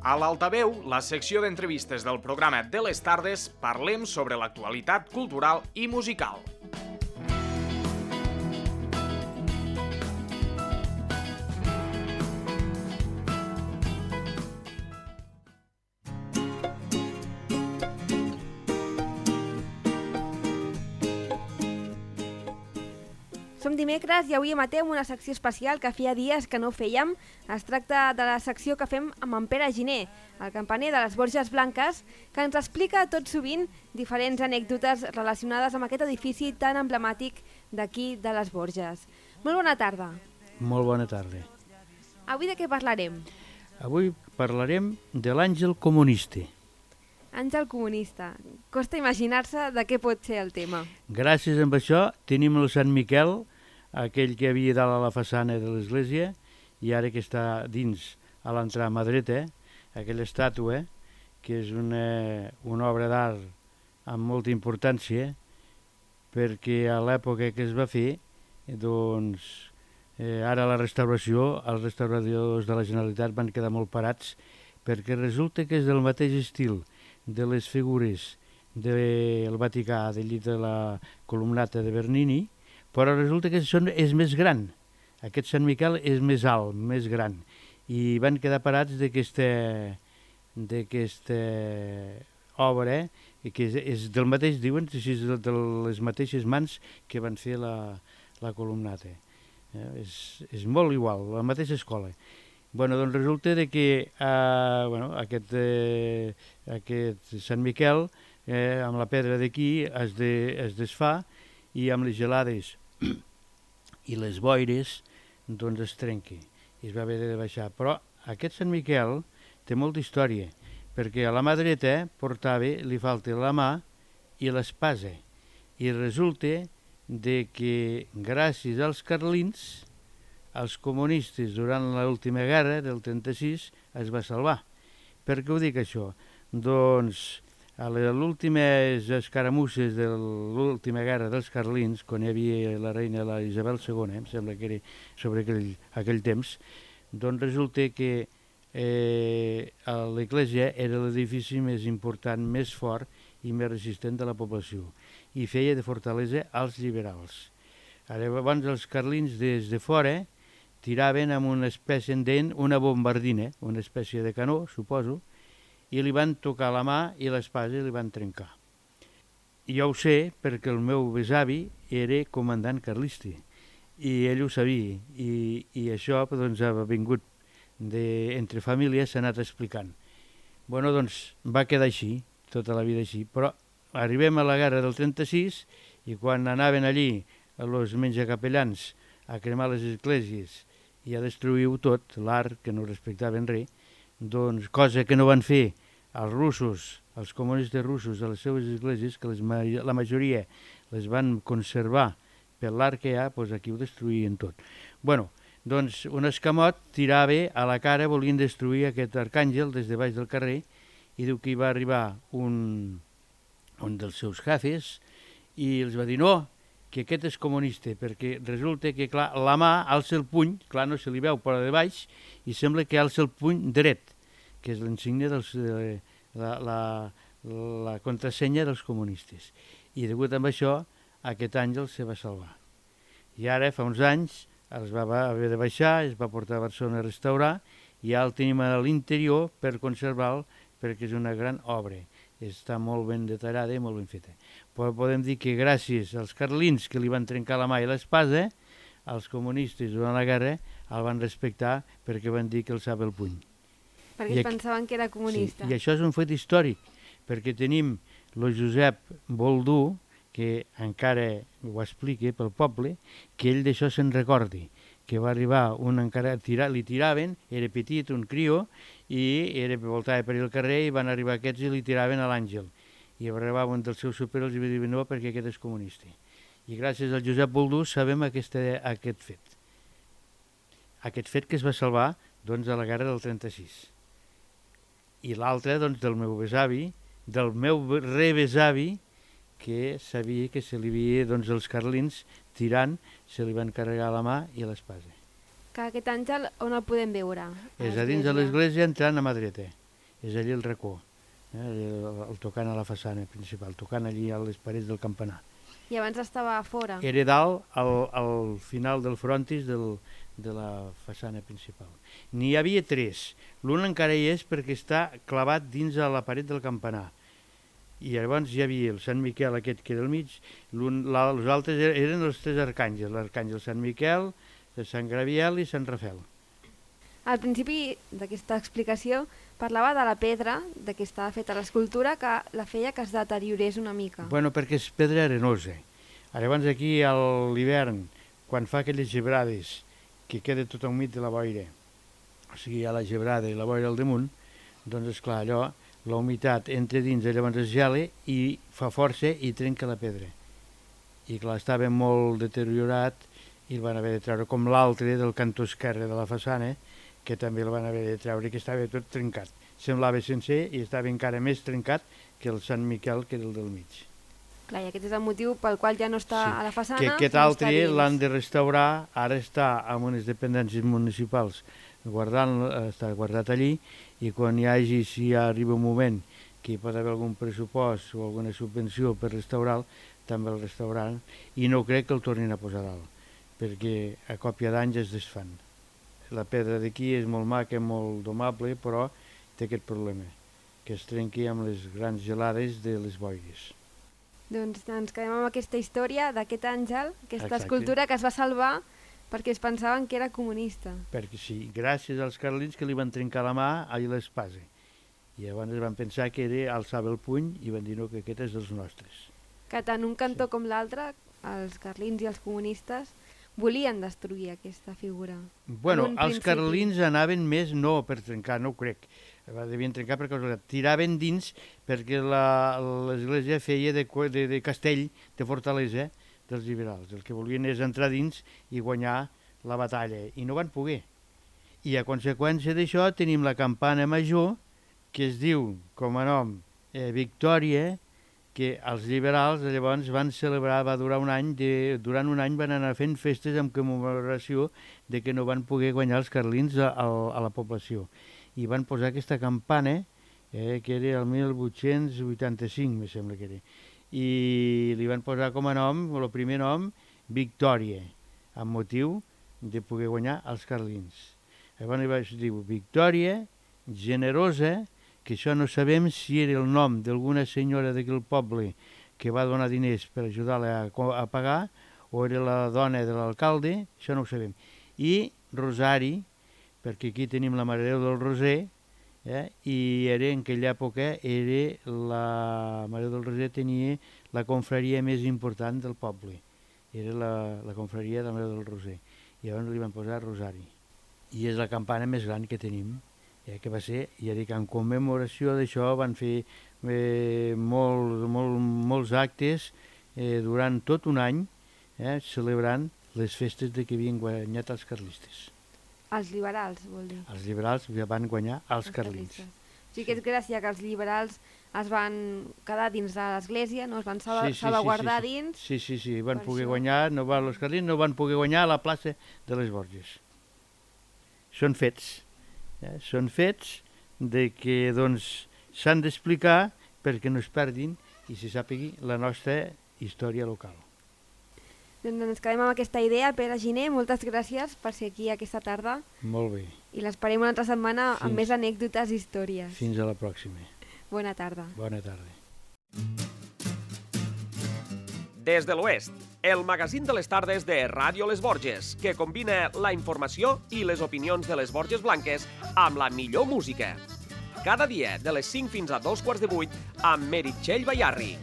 A l'Altaveu, la secció d'entrevistes del programa de les tardes, parlem sobre l'actualitat cultural i musical. Som dimecres i avui emetem una secció especial que feia dies que no fèiem. Es tracta de la secció que fem amb en Pere Giner, el campaner de les Borges Blanques, que ens explica tot sovint diferents anècdotes relacionades amb aquest edifici tan emblemàtic d'aquí de les Borges. Molt bona tarda. Molt bona tarda. Avui de què parlarem? Avui parlarem de l'àngel comunista. Àngel comunista. Costa imaginar-se de què pot ser el tema. Gràcies a això tenim el Sant Miquel, aquell que havia dalt a la façana de l'església i ara que està dins a l'entrar a mà dreta, aquella estàtua, que és una obra d'art amb molta importància, perquè a l'època que es va fer, doncs, ara la restauració, els restauradors de la Generalitat van quedar molt parats, perquè resulta que és del mateix estil de les figures del Vaticà, del llit de la columnata de Bernini, però resulta que és més gran. Aquest Sant Miquel és més alt, més gran, i van quedar parats d'aquesta obra, que és del mateix, diuen, de les mateixes mans que van fer la columnata. És molt igual, la mateixa escola. Doncs resulta que aquest Sant Miquel, amb la pedra d'aquí, es desfà i amb les gelades i les boires doncs es trenca i es va haver de baixar. Però aquest Sant Miquel té molta història, perquè a la mà dreta li falta la mà i l'espasa, i resulta que gràcies als carlins, els comunistes durant l'última guerra del 36 es va salvar. Per què ho dic això? Doncs a les últimes escaramusses de l'última guerra dels carlins, quan hi havia la reina la Isabel II, em sembla que era sobre aquell temps, doncs resulta que l'església era l'edifici més important, més fort i més resistent de la població, i feia de fortalesa als liberals. Llavors els carlins des de fora tiraven amb una espècie una bombardina, una espècie de canó, suposo, i li van tocar la mà i l'espasa i li van trencar. I jo ho sé perquè el meu besavi era comandant carlista i ell ho sabia, i això doncs, ha vingut entre famílies, s'ha anat explicant. Doncs va quedar així, tota la vida així, però arribem a la guerra del 36 i quan anaven allí els menjacapellans a cremar les esglésies i a destruir-ho tot, l'art, que no respectaven res, doncs cosa que no van fer els russos, els comunistes russos a les seves esglésies, que la majoria les van conservar per l'art que hi ha, doncs aquí ho destruïen tot. Doncs un escamot tirava a la cara, volien destruir aquest arcàngel des de baix del carrer, i diu que hi va arribar un dels seus jefes i els va dir no, que aquest és comunista, perquè resulta que, clar, la mà alça el puny, clar, no se li veu per de baix, i sembla que alça el puny dret, que és l'insignia la contrasenya dels comunistes. I degut a això, aquest àngel se va salvar. I ara, fa uns anys, es va haver de baixar, es va portar a Barcelona a restaurar, i ja el tenim a l'interior per conservar-lo, perquè és una gran obra. Està molt ben detallada i molt ben feta. Però podem dir que gràcies als carlins que li van trencar la mà i l'espasa, els comunistes durant la guerra el van respectar perquè van dir que alçava el puny. Perquè pensaven que era comunista. Sí, i això és un fet històric, perquè tenim el Josep Boldú, que encara ho explica pel poble, que ell d'això se'n recordi, que va arribar li tiraven, era petit, un crió, i voltava per el carrer i van arribar aquests i li tiraven a l'àngel. I arribava un dels seus superiors i va dir no, perquè aquest és comunista. I gràcies al Josep Boldú sabem aquest fet. Aquest fet que es va salvar doncs, a la guerra del 36. I l'altre doncs, del meu besavi, del meu rebesavi, que sabia que se li havia, doncs, els carlins tirant, se li van carregar la mà i l'espasa. Que aquest àngel on el podem veure? És a dins de l'església entrant a mà dreta. és allí el racó, el tocant a la façana principal, tocant allí a les parets del campanar. I abans estava a fora? Era dalt, al final del frontis de la façana principal. N'hi havia 3. L'un encara hi és perquè està clavat dins a la paret del campanar. I llavors hi havia el Sant Miquel aquest que era al mig, els altres eren els 3 arcàngels, l'arcàngel Sant Miquel, Sant Gabriel i Sant Rafael. Al principi d'aquesta explicació parlava de la pedra, de què estava feta l'escultura, que la feia que es deteriorés una mica. Bueno, perquè és pedra arenosa. Llavors aquí a l'hivern, quan fa aquelles gebrades, que queda tot humit de la boira, o sigui, hi ha la gebrada i la boira al damunt, doncs esclar, allò, la humitat entra dins, llavors es gela i fa força i trenca la pedra. I clar, estava molt deteriorat i el van haver de treure, com l'altre del cantó esquerre de la façana, que també el van haver de treure, que estava tot trencat. Semblava sencer i estava encara més trencat que el Sant Miquel, que era el del mig. Clar, i aquest és el motiu pel qual ja no està a la façana. Que aquest altre l'han de restaurar, ara està en unes dependències municipals està guardat allí, i quan hi hagi, si arriba un moment que hi pot haver algun pressupost o alguna subvenció per restaurar-lo, també el restauraran, i no crec que el tornin a posar dalt, perquè a còpia d'anys es desfan. La pedra d'aquí és molt maca, molt domable, però té aquest problema, que es trenqui amb les grans gelades de les boires. Doncs ens quedem amb aquesta història d'aquest àngel, aquesta Exacte. escultura que es va salvar perquè es pensaven que era comunista. Perquè sí, gràcies als carlins que li van trencar la mà a l'espasa. I llavors van pensar que alçava el puny i van dir no, que aquest és dels nostres. Que tant un cantó com l'altre, els carlins i els comunistes, volien destruir aquesta figura. Bueno, els carlins anaven més no per trencar, no ho crec. Devien trencar per casualitat. Tiraven dins perquè l'església feia de castell, de fortalesa dels liberals. El que volien és entrar dins i guanyar la batalla, i no van poder. I a conseqüència d'això tenim la campana major, que es diu, com a nom, Victòria, que els liberals llavors van celebrar, va durar un any, durant un any van anar fent festes en commemoració de que no van poder guanyar els carlins a la població. I van posar aquesta campana, que era el 1885, me sembla que era, i li van posar com a nom, el primer nom, Victòria, amb motiu de poder guanyar els carlins. Llavors diu Victòria, generosa, que això no sabem si era el nom d'alguna senyora d'aquell poble que va donar diners per ajudar-la a pagar, o era la dona de l'alcalde, això no ho sabem. I Rosari, perquè aquí tenim la Mare de Déu del Roser, i era, en aquella època la Mare del Roser tenia la confraria més important del poble, era la confraria de la Mare del Roser, i llavors li van posar Rosari. I és la campana més gran que tenim, que va ser, ja dic, en commemoració d'això van fer molts actes durant tot un any, celebrant les festes de que havien guanyat els carlistes. Els liberals, vol dir. Els liberals van guanyar els carlins. O sigui que és gràcies que els liberals es van quedar dins de l'església, no? Es van salvaguardar dins. Sí, van poder guanyar, els carlins no van poder guanyar a la plaça de les Borges. Són fets. Són fets de que s'han d'explicar perquè no es perdin i se sàpigui la nostra història local. Doncs ens quedem amb aquesta idea. Pere Giner, moltes gràcies per ser aquí aquesta tarda. Molt bé. I l'esperem una altra setmana amb més anècdotes i històries. Fins a la pròxima. Bona tarda. Bona tarda. Des de l'Oest, el magazín de les tardes de Ràdio Les Borges, que combina la informació i les opinions de les Borges Blanques amb la millor música. Cada dia, de les 5 fins a 2:15, amb Meritxell Bayarri.